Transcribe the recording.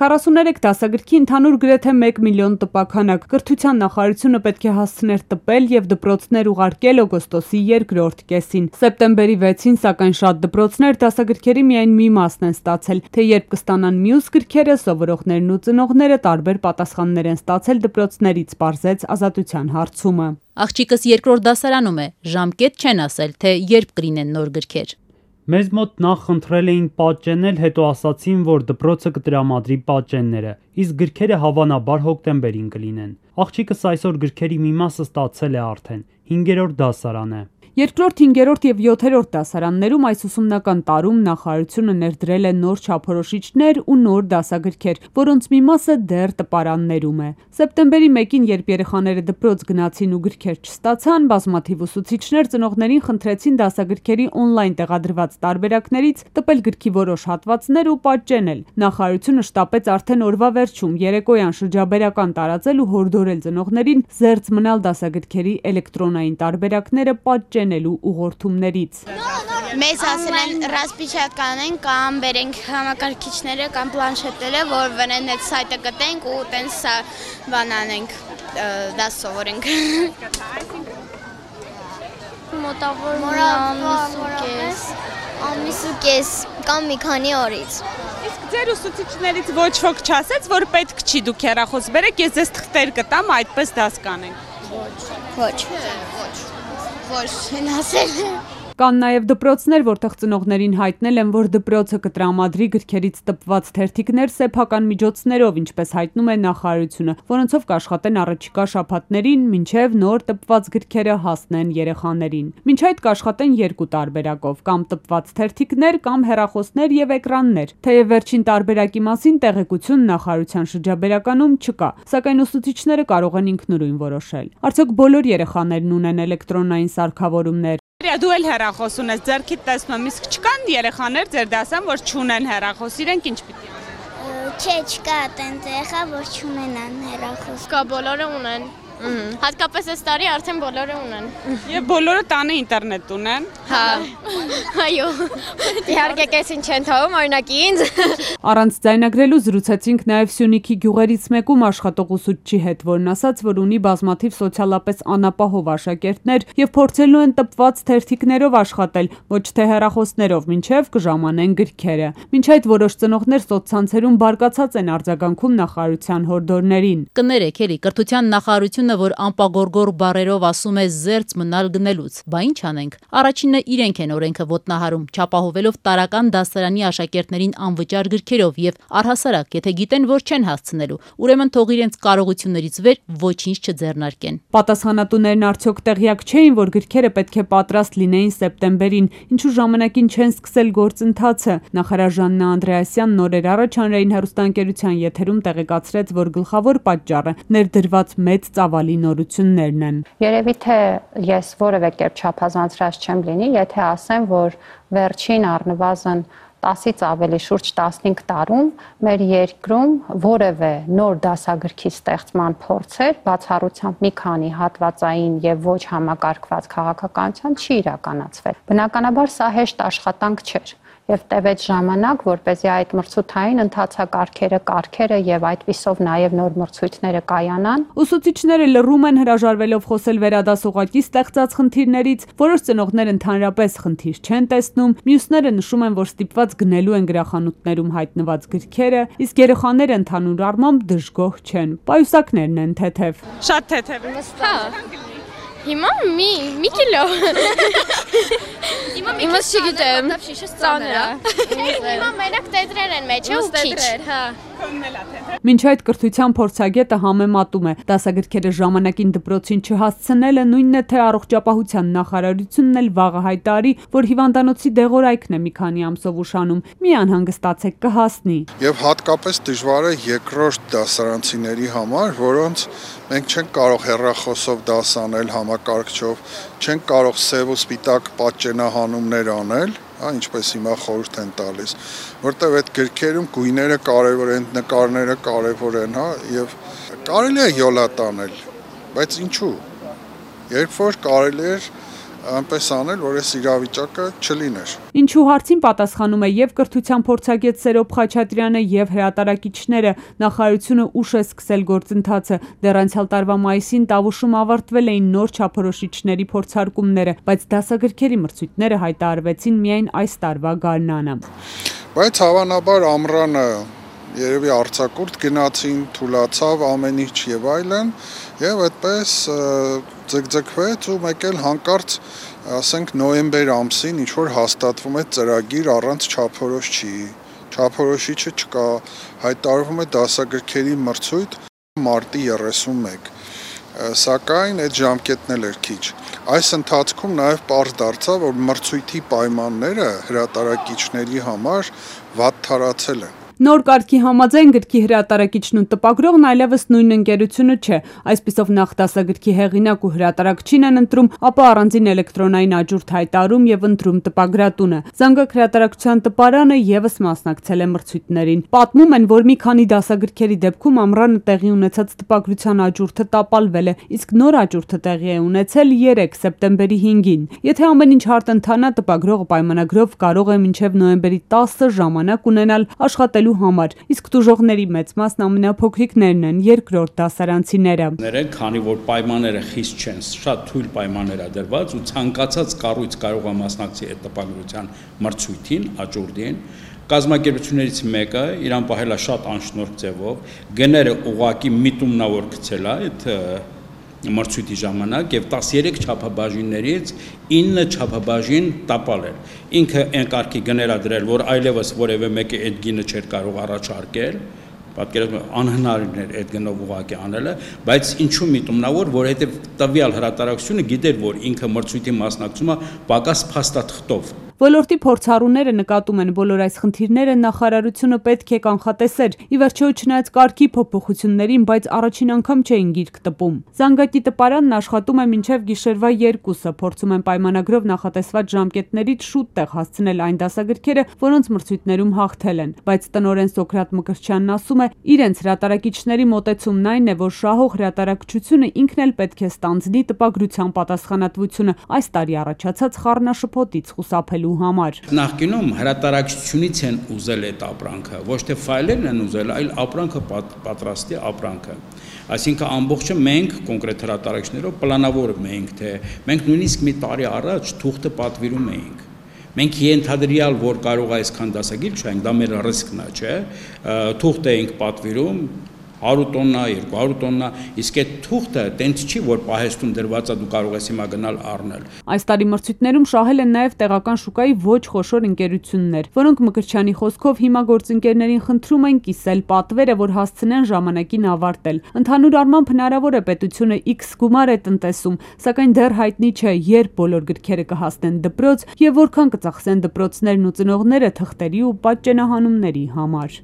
43 դասագրքի ընդհանուր գրեթե 1 միլիոն տպաքանակ կրթության նախարարությունը պետք է հասցներ տպել եւ դպրոցներ ուղարկել օգոստոսի 2-րդ կեսին։ Սեպտեմբերի 6-ին սակայն շատ դպրոցներ դասագրքերի միայն մի մասն են ստացել, թե երբ կստանան մյուս գրքերը, սովորողներն ու ծնողները տարբեր պատասխաններ են ստացել դպրոցներից, պարզեց Ազատության հարցումը։ Աղջիկս 2-րդ դասարանում է, ժամկետ չեն ասել, թե երբ կլինեն նոր գրքեր։ Մեզ մոտ նախ խնդրել էին պատճենել, հետո ասացին, որ դպրոցը կտրամադրի պատճենները, իսկ գրքերը հավանաբար հոկտեմբերին կլինեն։ Աղջիկս այսօր գրքերի մի մասը ստացել է արդեն, 5-րդ դասարան է։ 2-րդ, 5-րդ եւ 7-րդ դասարաններում այս ուսումնական տարում նախարարությունը ներդրել է նոր չափորոշիչներ ու նոր դասագրքեր, որոնց մի մասը դեռ տպարաններում է։ Սեպտեմբերի 1-ին, երբ երեխաները դպրոց գնացին ու գրքեր չստացան, բազմաթիվ ուսուցիչներ ծնողներին խնդրեցին դասագրքերի օնլայն տեղադրված տարբերակներից տպել գրքի որոշ հատվածներ ու պատճենել։ Նախարարությունը շտապեց արդեն օրվա վերջում երեկոյան շրջաբերական տարածել ու հորդորել ծնողներին զերծ մնալ դասագրքերի էլեկտրոնային տարբերակները պատճենելու ուղղորդումներից։ Մեզ ասել են ռասպիչատ կանենք կամ բերենք համակարգիչները կամ պլանշետները, որ վրան այդ սայթը կտենք ու տենց բան անենք, դաս սովորենք։ Մոտավոր ամիս ու կես կամ մի քանի օրից։ Իսկ ձեր ուսուցիչներից ոչ ոք չասեց, որ պետք չի դուք հեռախոս բերեք, ես ձեզ թղթեր կտամ, այդպես դաս կանենք։ Ոչ, չեն ասել։ Կան նաև դպրոցներ, որտեղ ծնողներին հայտնել են, որ դպրոցը կտրամադրի գրքերից տպված թերթիկներ սեփական միջոցներով, ինչպես հայտնում է նախարարությունը, որոնցով կաշխատեն առաջիկա շաբաթներին, մինչև նոր տպված գրքերը հասնեն երեխաներին։ Մինչ այդ կաշխատեն երկու տարբերակով՝ կամ տպված թերթիկներ, կամ հեռախոսներ եւ էկրաններ։ Թեև վերջին տարբերակի մասին տեղեկություն նախարարության շրջաբերականում չկա, սակայն ուսուցիչները կարող են ինքնուրույն որոշել։ Արդյոք բոլոր երեխաներն ունեն էլեկտրոնային սարքավորումներ։ Դու էլ հեռախոս ունես, ձեռքիդ տեսնում եմ, իսկ չկան երեխաներ ձեր դասան, որ չունեն հեռախոս, իրենք ինչ պիտի անեն։ Չէ, չկա տենց եղա, որ չունենան հեռախոս։ Կա բոլորը ունեն։ Հատկապես այս տարի արդեն բոլորը ունեն։ Եվ բոլորը տանը ինտերնետ ունեն։ Հա։ Այո։ Իհարկե կեսին չեն թվում, օրինակ ինձ։ Առանց ձայնագրելու զրուցեցինք նաև Սյունիքի գյուղերից մեկում աշխատող ուսուցչի հետ, որն ասաց, որ ունի բազմաթիվ սոցիալապես անապահով աշակերտներ եւ փորձելու են տպված թերթիկներով աշխատել, ոչ թե հեռախոսներով, մինչեւ կժամանեն գրքերը։ Մինչ այդ որոշ ծնողներ սոցցանցերում բարկացած են արձագանքում նախարարության հորդորներին։ Կներեք, էլի կրթության նախարարությունը, որ անպագորգոր բառերով ասում է զերծ մնալ գնելուց, բա ինչ անենք։ Առաջինը իրենք են օրենքը ոտնահարում, չապահովելով տարական դասարանի աշակերտներին անվճար գրքերով եւ առհասարակ, եթե գիտեն, որ չեն հասցնելու, ուրեմն թող իրենց կարողություններից վեր ոչինչ չձեռնարկեն։ Պատասխանատուներն արդյոք տեղյակ չէին, որ գրքերը պետք է պատրաստ լինեին սեպտեմբերին, ինչու ժամանակին չեն սկսել գործընթացը։ Նախարար Ժաննա Անդրեասյանն օրեր առաջ հանրային հեռուստաընկերության եթերում տեղեկացրեց, որ գլխավոր պատճառը ներդրված մեծ ծավալի նորություններն են։ Երևի թե ես որևէ կերպ չափազանցրած չեմ լինի, եթե ասեմ, որ վերջին առնվազն 10-ից ավելի շուրջ 15 տարում մեր երկրում որևէ նոր դասագրքի ստեղծման փորձեր բացառությամբ մի քանի հատվածային եւ ոչ համակարգված քաղաքականության չի իրականացվել։ Բնականաբար սա հեշտ աշխատանք չէր եւ տևեց ժամանակ, որպեսզի այդ մրցութային ընթացակարգերը եւ այդպիսով նաեւ նոր մրցույթները կայանան։ Ուսուցիչները լռում են, հրաժարվելով խոսել վերադասողակի ստեղծած խնդիրներից, որոշ ծնողներ ընդհանրապես խնդիր չեն տեսնում, մյուսները նշում են, որ ստիպված գնելու են գրախանութներում հայտնված գրքերը, իսկ երեխաները ընդհանուր առմամբ դժգոհ չեն։ Պայուսակներն են թեթև։ Շատ թեթև։ Հա։ Հիմա մի կիլո։ Հիմա չգիտեմ։ Ծանր է։ Հիմա մենակ տետրեր են մեջը ու քիչ։ Հա։ Մինչ այդ կրթության փորձագետը համեմատում է, դասագրքերը ժամանակին դպրոցին չհասցնելը նույնն է, թե առողջապահության նախարարությունն էլ վաղը հայտարարի, որ հիվանդանոցի դեղորայքն է մի քանի ամսով ուշանում, մի անհանգստացեք կհասնի։ Եվ հատկապես դժվար է երկրորդ դասարանցիների համար, որոնց մենք չենք կարող հեռախոսով դաս անել համակարգչով, չենք կարող սև ու սպիտակ պատճենահանումներ անել, ինչպես հիմա խորհուրդ են տալիս, որտեղ այդ գրքերում գույները կարևոր են, նկարները կարևոր են, եւ կարելի է յոլա տանել, բայց ինչու։ Երբ որ կարելի էր այնպես անել, որ այս իրավիճակը չլիներ։ Ինչու հարցին պատասխանում է եւ կրթության փորձագետ Սերոբ Խաչատրյանը եւ հրատարակիչները, նախարարությունը ուշ է սկսել գործընթացը։ Դեռ անցյալ տարվա մայիսին Տավուշում ավարտվել էին նոր չափորոշիչների փորձարկումները, բայց դասագրքերի մրցույթները հայտարարվեցին միայն այս տարվա գարնանը։ Բայց հավանաբար ամռանը երևի արձակուրդ գնացին, թուլացավ ամեն ինչ եւ այլն, եւ այդպես ձգձգվեց ու մեկ էլ հանկարծ, ասենք նոյեմբեր ամսին ինչ որ հաստատվում է ծրագիր առանց չափորոշիչի։ Չափորոշիչը չկա, հայտարարվում է դասագրքերի մրցույթ մարտի 31։ Սակայն այդ ժամկետն էլ էր քիչ։ Այս ընթացքում նաեւ պարզ դարձավ, որ մրցույթի պայմանները հրատարակիչների համար վատ թարացել են։ Նոր կարգի համաձայն գրքի հրատարակիչն ու տպագրողն այլևս նույն ընկերությունը չէ։ Այսպիսով նախ դասագրքի հեղինակ ու հրատարակչին են ընտրում, ապա առանձին էլեկտրոնային աճուրդ հայտարարում եւ ընտրում տպագրատունը։ Զանգակ հրատարակչության տպարանը եւս մասնակցել է մրցույթներին։ Պատմում են, որ մի քանի դասագրքերի դեպքում ամռանը տեղի ունեցած տպագրության աճուրդը տապալվել է, իսկ նոր աճուրդը տեղի է ունեցել 3 սեպտեմբերի 5-ին։ Եթե ամեն ինչ հարթ ընթանա, տպագրողը պայմանագրով կարող է մինչև նոյեմբերի 10-ը ժամանակ ունենալ աշխատելու համար, իսկ տուժողների մեծ մասն ամենափոքրիկներն են, երկրորդ դասարանցիները։ Քանի որ պայմանները խիստ չեն, շատ թույլ պայմաններ ա դրված ու ցանկացած կառույց կարող է մասնակցի այդ տպագրության մրցույթին, աճուրդին, կազմակերպություններից մեկը իրան պահել է շատ անշնորհ ձևով, գները ուղակի միտումնավոր գցել է այդ մրցույթի ժամանակ եւ 13 չափաբաժիններից 9 չափաբաժին տապալել։ Ինքը այն կարգի գներ ա դրել, որ այլևս որևէ մեկը այդ գինը չէր կարող առաջարկել, պատկերացնում անհնարին էր այդ գնով ուղղակի անելը, բայց ինչու միտումնավոր, որովհետեւ տվյալ հրատարակությունը գիտեր, որ ինքը մրցույթի մասնակցում է պակաս փաստաթղթով։ Ոլորտի փորձառուները նկատում են, բոլոր այս խնդիրները նախարարությունը պետք է կանխատեսեր։ Ի վերջո, չնայած կարգի փոփոխություններին, բայց առաջին անգամ չէին գիրք տպում։ Զանգակի տպարանն աշխատում է մինչև գիշերվա 2-ը, փորձում են պայմանագրով նախատեսված ժամկետներից շուտ տեղ հասցնել այն դասագրքերը, որոնց մրցույթներում հաղթել են։ Բայց տնօրեն Սոկրատ Մկրտչյանն ասում է, իրենց հրատարակիչների մոտեցումն այն է, որ շահող հրատարակչությունը ինքն էլ պետք է ստանձնի տպագրության պատասխանատվությունը այս տարի առաջացած խառնաշփոթից խուսափելու համար։ Նախկինում հրատարակչությունից են ուզել այդ ապրանքը, ոչ թե ֆայլերն են ուզել, այլ ապրանքը պատրաստի ապրանքը։ Այսինքն ամբողջը մենք կոնկրետ հրատարակիչներով պլանավորում էինք, թե մենք նույնիսկ մի տարի առաջ թուղթը պատվիրում էինք։ Մենք ենթադրյալ, որ կարող է այսքան դասագիր չենք, դա մեր ռիսկն է, չէ՞։ Թուղթ էինք պատվիրում 100 տոննա, 200 տոննա, իսկ այդ թուղթը տենց չի, որ պահեստում դրված է, դու կարող ես հիմա գնալ առնել։ Այս տարի մրցույթներում շահել են նաև տեղական շուկայի ոչ խոշոր ընկերություններ, որոնք Մկրտչյանի խոսքով հիմա գործընկերներին խնդրում են կիսել պատվերը, որ հասցնեն ժամանակին ավարտել։ Ընդհանուր առմամբ հնարավոր է պետությունը X գումար է տնտեսում, սակայն դեռ հայտնի չէ, երբ բոլոր գրքերը կհասնեն դպրոց եւ որքան կծախսեն դպրոցներն ու ծնողները թղթերի ու պատճենահանումների համար։